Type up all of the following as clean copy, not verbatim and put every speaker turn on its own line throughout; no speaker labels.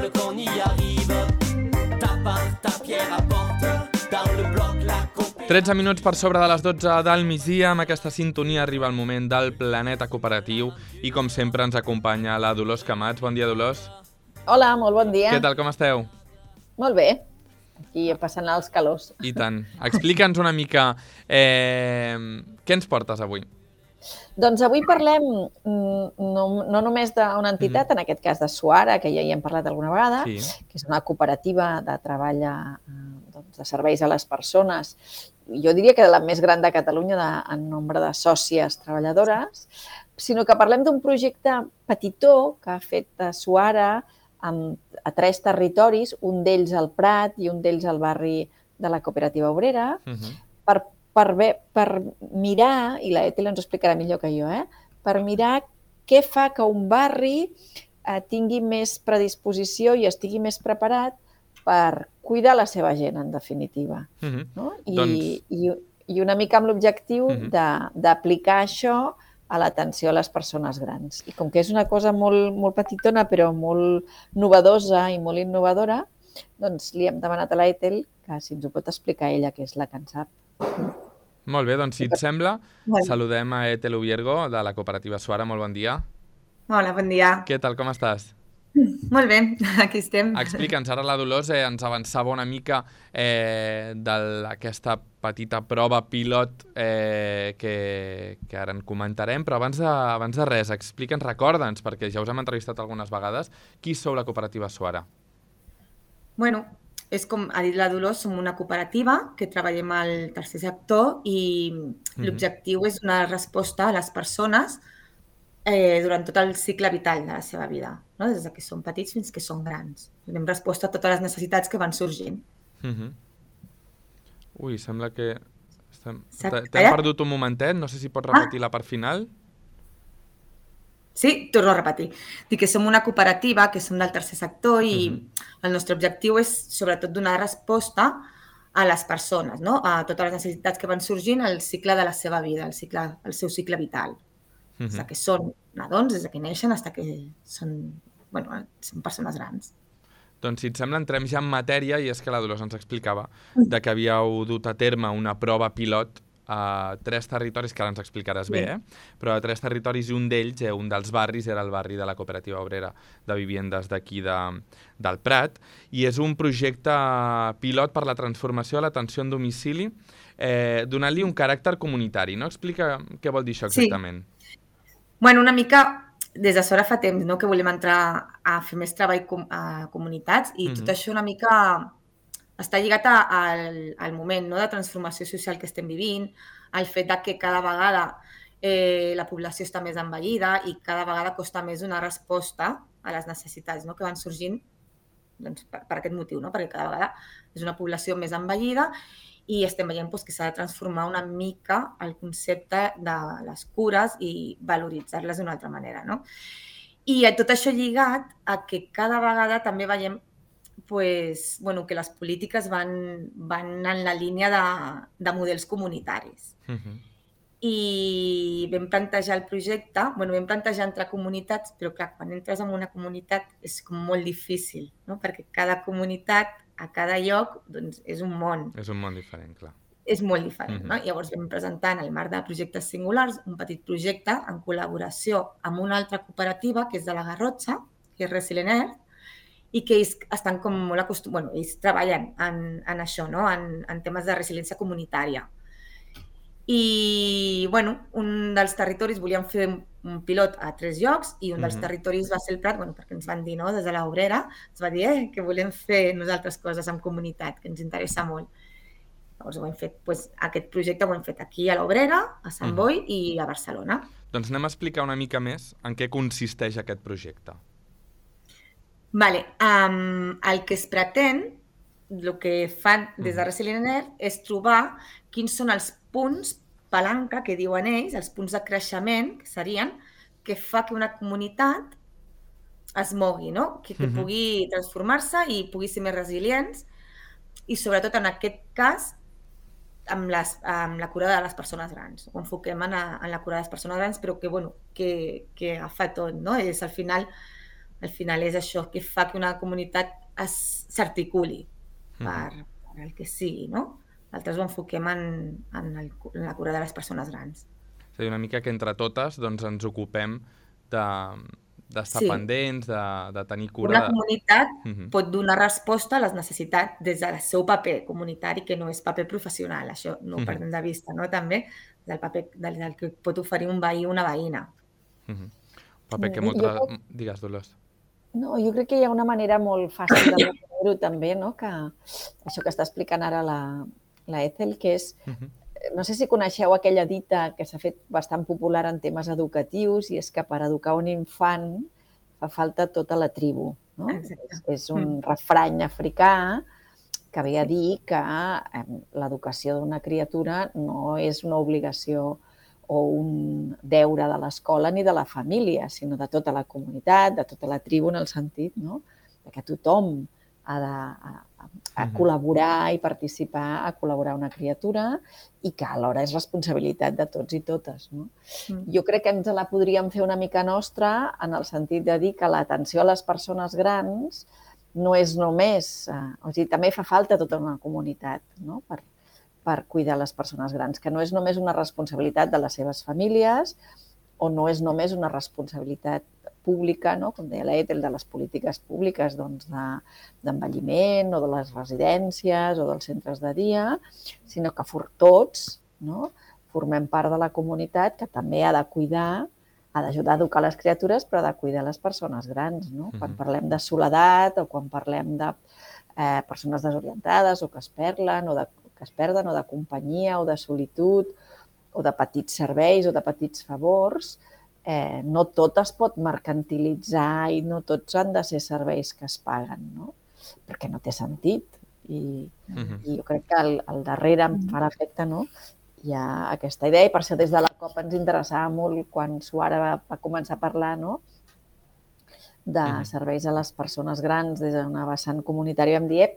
ensemble qu'on y arrive. Ta part, ta pierre apporte dans le bloc la compétition.
13 minuts per sobre de les 12 del migdia. Amb aquesta sintonia arriba el moment del Planeta Cooperatiu i, com sempre, ens acompanya la Dolors Camats. Bon dia, Dolors.
Hola, molt bon dia.
Què tal, com esteu?
Molt bé. Aquí passant els calors.
I tant. Explica'ns una mica què ens portes avui.
Doncs avui parlem no només d'una entitat, en aquest cas de Suara, que ja hi hem parlat alguna vegada, que és una cooperativa de treball de serveis a les persones. Jo diria que la més gran de Catalunya en nombre de sòcies treballadores, sinó que parlem d'un projecte petitó que ha fet Suara a 3 territoris, un d'ells al Prat i un d'ells al barri de la Cooperativa Obrera, per mirar, i la Ethel ens ho explicarà millor que jo, per mirar què fa que un barri tingui més predisposició i estigui més preparat per cuidar la seva gent, en definitiva. I una mica amb l'objectiu d'aplicar això a l'atenció a les persones grans. I com que és una cosa molt petitona, però molt novedosa i molt innovadora, doncs li hem demanat a la Ethel que si ens ho pot explicar ella, que és la que en sap.
Molt bé, doncs si et sembla, saludem a Ethel Ubiergo, de la cooperativa Suara. Molt bon dia.
Hola, bon dia.
Què tal, com estàs?
Molt bé, aquí estem.
Explica'ns, ara la Dolors ens avançava una mica d'aquesta petita prova pilot que ara en comentarem, però abans de res, explica'ns, recorda'ns, perquè ja us hem entrevistat algunes vegades, qui sou la cooperativa Suara?
Bueno, és com ha dit la Dolors, som una cooperativa que treballem al tercer sector i l'objectiu és donar resposta a les persones durant tot el cicle vital de la seva vida, no? Des que són petits fins que són grans. Donem resposta a totes les necessitats que van sorgint.
Ui, sembla que... T'hem perdut un momentet, no sé si pots repetir la part final.
Sí, torno a repetir. Dic que som una cooperativa, que som del tercer sector i el nostre objectiu és sobretot donar resposta a les persones, no? A totes les necessitats que van sorgint al cicle de la seva vida, al seu cicle vital. Des que són nadons, des que neixen, fins que són persones grans.
Doncs si et sembla, entrem ja en matèria, i és que la Dolors ens explicava que havíeu dut a terme una prova pilot a 3 territoris, que ara ens explicaràs bé, però a 3 territoris, i un d'ells, un dels barris, era el barri de la Cooperativa Obrera de Viviendes d'aquí del Prat, i és un projecte pilot per la transformació de l'atenció en domicili, donant-li un caràcter comunitari, no? Explica què vol dir això exactament.
Bueno, una mica, des de Suara fa temps, no?, que volem entrar a fer més treball a comunitats i tot això una mica està lligat al moment, no?, de transformació social que estem vivint, al fet que cada vegada la població està més envellida i cada vegada costa més donar resposta a les necessitats, no?, que van sorgint per aquest motiu, no?, perquè cada vegada és una població més envellida i estem veient que s'ha de transformar una mica el concepte de les cures i valoritzar-les d'una altra manera, no? I tot això lligat a que cada vegada també veiem que les polítiques van en la línia de models comunitaris. I vam plantejar el projecte, vam plantejar entre comunitats, però clar, quan entres en una comunitat és com molt difícil, no? Perquè cada comunitat, a cada lloc, doncs és un món.
És un món diferent, clar.
És molt diferent, no? Llavors vam presentar en el marc de projectes singulars un petit projecte en col·laboració amb una altra cooperativa, que és de la Garrotxa, que és Resilient Earth, i que ells estan com molt acostumats, ells treballen en això, no?, en temes de resiliència comunitària. I, un dels territoris volíem fer un pilot a 3 llocs i un dels territoris va ser el Prat, perquè ens van dir, no?, des de l'Obrera, ens va dir que volem fer nosaltres coses en comunitat, que ens interessa molt. Llavors ho hem fet, aquest projecte ho hem fet aquí a l'Obrera, a Sant Boi i a Barcelona.
Doncs anem a explicar una mica més en què consisteix aquest projecte.
El que es pretén, el que fan des de Resilient Earth, és trobar quins són els punts palanca, que diuen ells, els punts de creixement, que serien, que fa que una comunitat es mogui, no? Que pugui transformar-se i pugui ser més resilients i, sobretot, en aquest cas, amb la cura de les persones grans. Ho enfoquem en la cura de les persones grans, però que agafa tot, no? És, al final, al final és això que fa que una comunitat s'articuli per el que sigui, no? Nosaltres ho enfoquem en la cura de les persones grans.
És a dir, una mica que entre totes ens ocupem d'estar pendents, de tenir cura.
Una comunitat pot donar resposta a les necessitats des del seu paper comunitari, que no és paper professional, això no ho perdem de vista, no? També del paper del que pot oferir un veí o una veïna.
Paper que Digues, Dolors.
No, jo crec que hi ha una manera molt fàcil de veure-ho també, no? Que això que està explicant ara la Ethel, que és... No sé si coneixeu aquella dita que s'ha fet bastant popular en temes educatius i és que per educar un infant fa falta tota la tribu, no? És un refrany africà que ve a dir que l'educació d'una criatura no és una obligació o un deure de l'escola ni de la família, sinó de tota la comunitat, de tota la tribu, en el sentit que tothom ha de col·laborar i participar, a col·laborar una criatura i que alhora és responsabilitat de tots i totes. Jo crec que ens la podríem fer una mica nostra en el sentit de dir que l'atenció a les persones grans no és només... O sigui, també fa falta tota una comunitat per cuidar les persones grans, que no és només una responsabilitat de les seves famílies o no és només una responsabilitat pública, com deia la Ethel, de les polítiques públiques d'envelliment o de les residències o dels centres de dia, sinó que tots formem part de la comunitat que també ha de cuidar, ha d'ajudar a educar les criatures, però ha de cuidar les persones grans. Quan parlem de soledat o quan parlem de persones desorientades o que es perden o de companyia o de solitud o de petits serveis o de petits favors, no tot es pot mercantilitzar i no tots han de ser serveis que es paguen, perquè no té sentit. I jo crec que al darrere em fa l'efecte, hi ha aquesta idea, i per això des de la COP ens interessava molt quan Suara va començar a parlar de serveis a les persones grans des d'una vessant comunitària. Vam dir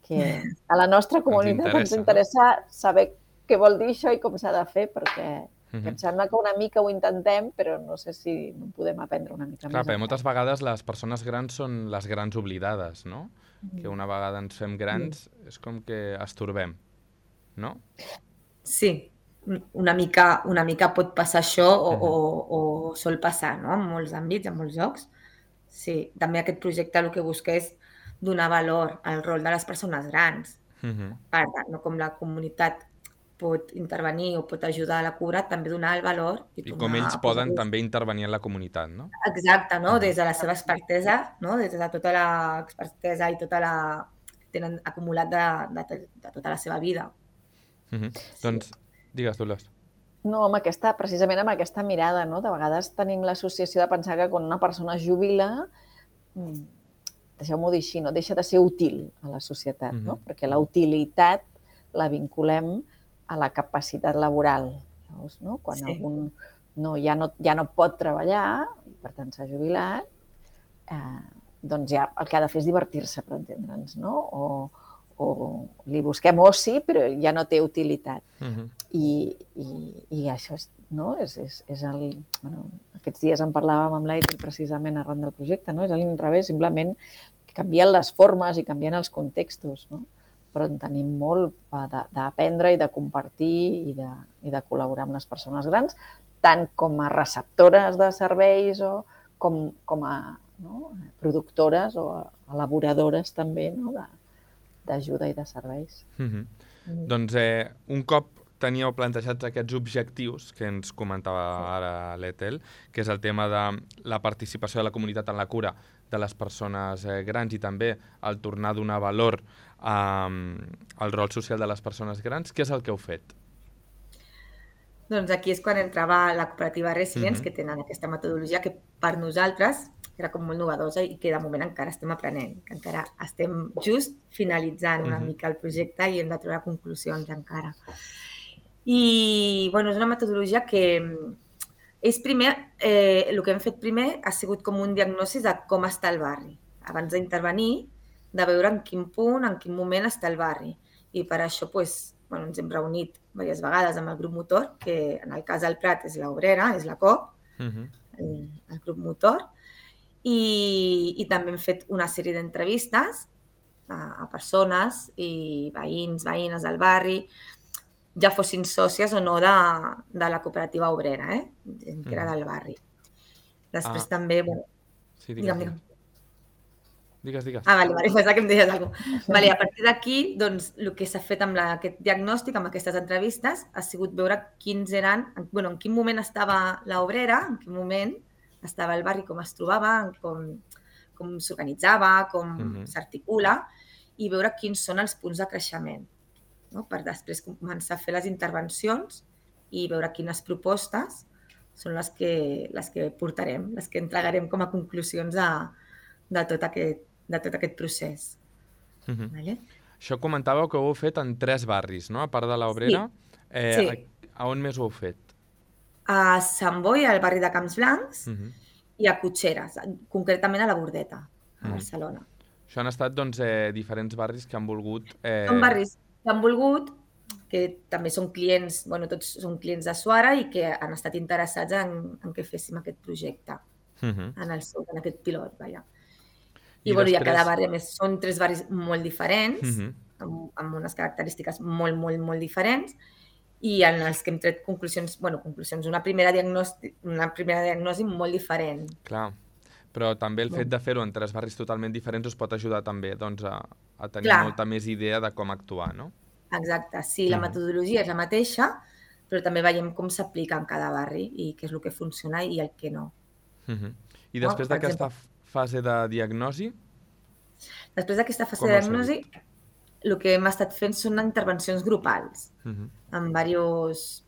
que a la nostra comunitat ens interessa saber què vol dir això i com s'ha de fer, perquè em sembla que una mica ho intentem, però no sé si no podem aprendre una mica més.
Clar, perquè moltes vegades les persones grans són les grans oblidades, no? Que una vegada ens fem grans és com que estorbem, no?
Sí, una mica pot passar això o sol passar, no? En molts àmbits, en molts llocs. Sí, també aquest projecte el que busca és donar valor al rol de les persones grans. No com la comunitat pot intervenir o pot ajudar a la cura, també donar el valor.
I com ells poden també intervenir en la comunitat, no?
Exacte, des de la seva expertesa, des de tota l'expertesa i tota la que tenen acumulat de tota la seva vida.
Doncs, digues, Dolors.
No, precisament amb aquesta mirada, de vegades tenim l'associació de pensar que quan una persona es jubila, deixeu-m'ho dir així, deixa de ser útil a la societat, perquè la utilitat la vinculem a la capacitat laboral. Quan algú ja no pot treballar, i per tant s'ha jubilat, doncs ja el que ha de fer és divertir-se, per entendre'ns, o li busquem oci, però ja no té utilitat. I això és aquests dies en parlàvem amb l'Aitel precisament arran del projecte, és a l'inrevés, simplement canvien les formes i canvien els contextos, però en tenim molt d'aprendre i de compartir i de col·laborar amb les persones grans, tant com a receptores de serveis o com a productores o elaboradores també d'ajuda i de serveis.
Doncs un cop teníeu plantejats aquests objectius que ens comentava ara l'Ethel, que és el tema de la participació de la comunitat en la cura de les persones grans i també el tornar a donar valor al rol social de les persones grans, què és el que heu fet?
Doncs aquí és quan entrava la cooperativa Resilience, que tenen aquesta metodologia que per nosaltres era com molt novedosa i que de moment encara estem aprenent, que encara estem just finalitzant una mica el projecte i hem de treure conclusions encara. I és una metodologia que és primer, el que hem fet primer ha sigut com un diagnòstic de com està el barri. Abans d'intervenir, de veure en quin punt, en quin moment està el barri. I per això ens hem reunit diverses vegades amb el grup motor, que en el cas del Prat és l'Obrera, és la COP, el grup motor, i també hem fet una sèrie d'entrevistes a persones i veïns, veïnes del barri, ja fossin sòcies o no de la cooperativa obrera, gent que era del barri. Després també...
Sí,
digue'm.
Digues.
Vale, pensava que em deies alguna cosa. Vale, a partir d'aquí, doncs, el que s'ha fet amb aquest diagnòstic, amb aquestes entrevistes, ha sigut veure quins eren, en quin moment estava l'obrera, en quin moment estava el barri, com es trobava, com s'organitzava, com s'articula, i veure quins són els punts de creixement, no? Per després començar a fer les intervencions i veure quines propostes són les que portarem, les que entregarem com a conclusions de tot aquest procés. Vale?
Això comentàveu que ho heu fet en 3 barris, no? A part de l'Obrera.
Sí.
A on més ho heu fet?
A Sant Boi, al barri de Camps Blancs, i a Cotxeres, concretament a la Bordeta, a Barcelona.
Això han estat diferents barris que han volgut...
Són barris que han volgut, que també són clients, tots són clients de Suara i que han estat interessats en que féssim aquest projecte, en aquest pilot, vaja. I després... a cada barri, a més, són 3 barris molt diferents, amb unes característiques molt, molt, molt diferents, i en els que hem tret conclusions, una primera diagnosi molt diferent.
Clar, però també el fet de fer-ho en 3 barris totalment diferents us pot ajudar també a tenir molta més idea de com actuar, no?
Exacte, sí, la metodologia és la mateixa, però també veiem com s'aplica en cada barri i què és el que funciona i el que no.
I després d'aquesta fase de diagnosi?
Després d'aquesta fase de diagnosi, el que hem estat fent són intervencions grupals, amb diverses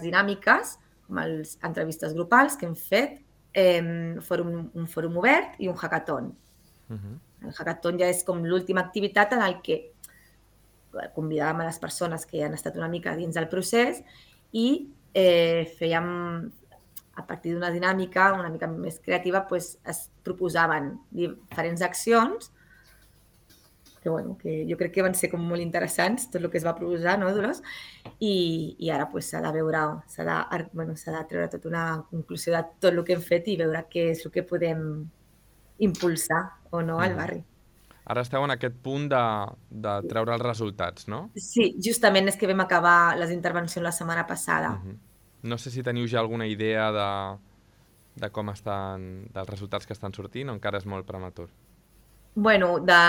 dinàmiques, com les entrevistes grupals que hem fet, un fòrum obert i un hackathon. El hackathon ja és com l'última activitat en el que convidàvem a les persones que han estat una mica dins del procés i fèiem, a partir d'una dinàmica una mica més creativa, es proposaven diferents accions que jo crec que van ser com molt interessants, tot el que es va proposar, no, Dolors? I ara s'ha de veure, s'ha de treure tota una conclusió de tot el que hem fet i veure què és el que podem impulsar o no al barri.
Ara esteu en aquest punt de treure els resultats, no?
Sí, justament és que vam acabar les intervencions la setmana passada.
No sé si teniu ja alguna idea de com estan, dels resultats que estan sortint o encara és molt prematur?
De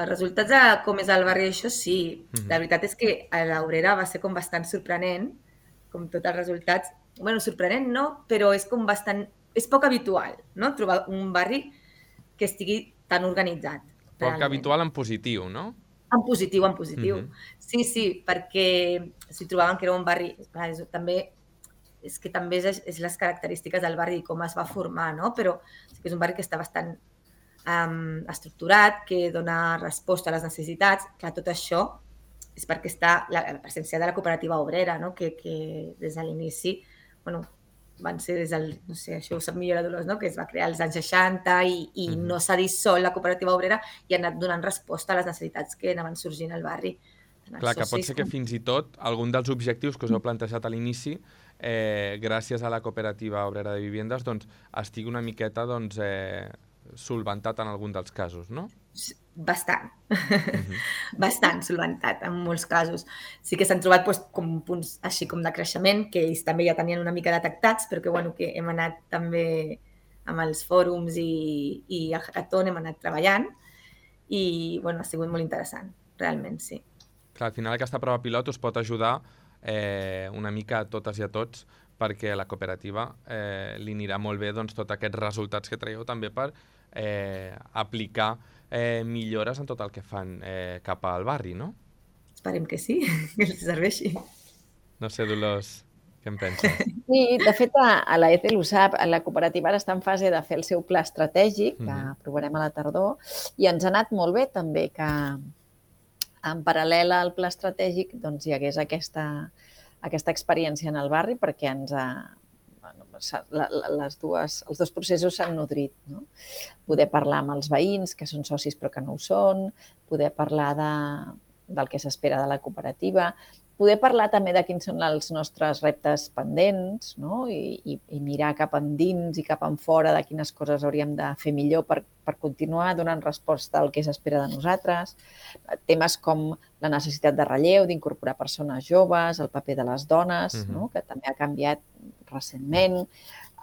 resultats de com és el barri, això sí. La veritat és que a l'Obrera va ser com bastant sorprenent, com tots els resultats. Sorprenent no, però és com bastant... És poc habitual, no?, trobar un barri que estigui tan organitzat.
Poc habitual en positiu, no?
En positiu. Sí, perquè si trobaven que era un barri... També és les característiques del barri i com es va formar, no? Però sí que és un barri que està bastant estructurat, que dona resposta a les necessitats. Clar, tot això és perquè està la presència de la cooperativa obrera, no? Que des de l'inici, van ser des del, no sé, això ho sap millor la Dolors, no? Que es va crear als anys 60 i no s'ha dissolt la cooperativa obrera i ha anat donant resposta a les necessitats que anaven sorgint al barri.
Clar, que pot ser que fins i tot algun dels objectius que us heu plantejat a l'inici, gràcies a la cooperativa obrera de viviendes, estigui una miqueta solventat en algun dels casos, no?
Bastant. Bastant solventat, en molts casos. Sí que s'han trobat com punts així com de creixement, que ells també ja tenien una mica detectats, però que hem anat també amb els fòrums i el hackathon hem anat treballant i ha sigut molt interessant, realment, sí.
Clar, al final aquesta prova pilot us pot ajudar una mica a totes i a tots perquè a la cooperativa li anirà molt bé tots aquests resultats que traieu també per aplicar millores en tot el que fan cap al barri, no?
Esperem que sí, que els serveixi.
No sé, Dolors, què en penses?
Sí, de fet, a la ETL ho sap, la cooperativa ara està en fase de fer el seu pla estratègic, que aprovarem a la tardor, i ens ha anat molt bé també que en paral·lel al pla estratègic hi hagués aquesta experiència en el barri perquè els dos processos s'han nodrit. Poder parlar amb els veïns, que són socis però que no ho són, poder parlar del que s'espera de la cooperativa, poder parlar també de quins són els nostres reptes pendents, no? I mirar cap endins i cap enfora de quines coses hauríem de fer millor per continuar donant resposta al que s'espera de nosaltres. Temes com la necessitat de relleu, d'incorporar persones joves, el paper de les dones, no? Que també ha canviat recentment,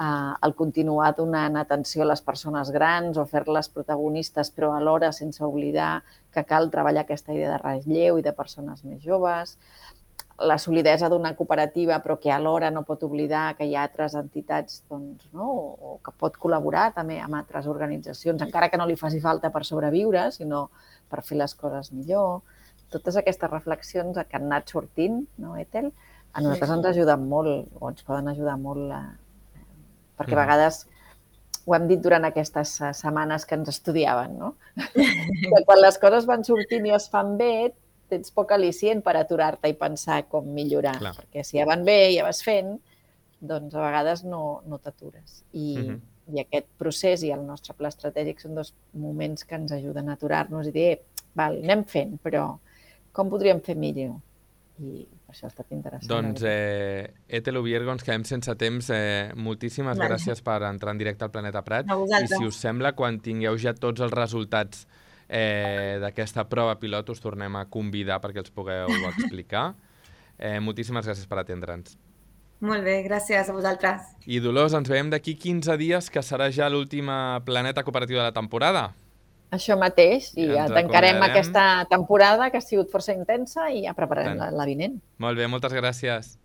el continuar donant atenció a les persones grans o fer-les protagonistes, però alhora sense oblidar que cal treballar aquesta idea de relleu i de persones més joves, la solidesa d'una cooperativa però que alhora no pot oblidar que hi ha altres entitats o que pot col·laborar també amb altres organitzacions, encara que no li faci falta per sobreviure, sinó per fer les coses millor. Totes aquestes reflexions que han anat sortint, no, Ethel, a nosaltres ens ajuden molt, o ens poden ajudar molt, perquè a vegades ho hem dit durant aquestes setmanes que ens estudiaven, no? Que quan les coses van sortint i es fan bé, tens poc al·licient per aturar-te i pensar com millorar. Clar. Perquè si ja van bé i ja vas fent, doncs a vegades no t'atures. I aquest procés i el nostre pla estratègic són dos moments que ens ajuden a aturar-nos i dir, val, anem fent, però com podríem fer millor? I per això ha estat interessant.
Doncs, Ethel Ubiergo, ens quedem sense temps. Moltíssimes gràcies per entrar en directe al Planeta Prat. I si us sembla, quan tingueu ja tots els resultats d'aquesta prova pilot, us tornem a convidar perquè els pugueu explicar. Moltíssimes gràcies per atendre'ns.
Molt bé, gràcies a vosaltres.
I Dolors, ens veiem d'aquí 15 dies, que serà ja l'última Planeta Cooperativa de la temporada.
Això mateix, i ja tancarem aquesta temporada que ha sigut força intensa i ja prepararem la vinent.
Molt bé, moltes gràcies.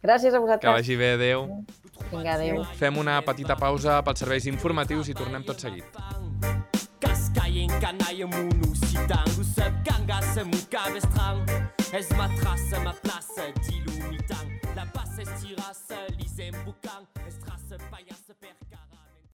Gràcies a vosaltres.
Que vagi bé, adéu.
Vinga, adéu.
Fem una petita pausa pels serveis informatius i tornem tot seguit.
Cascaien canaille mounou sitang ou sub ganga se mouka bestrang es ma trace ma place dilou mitang la passe estirasse lisem boucan estrasse paillasse percar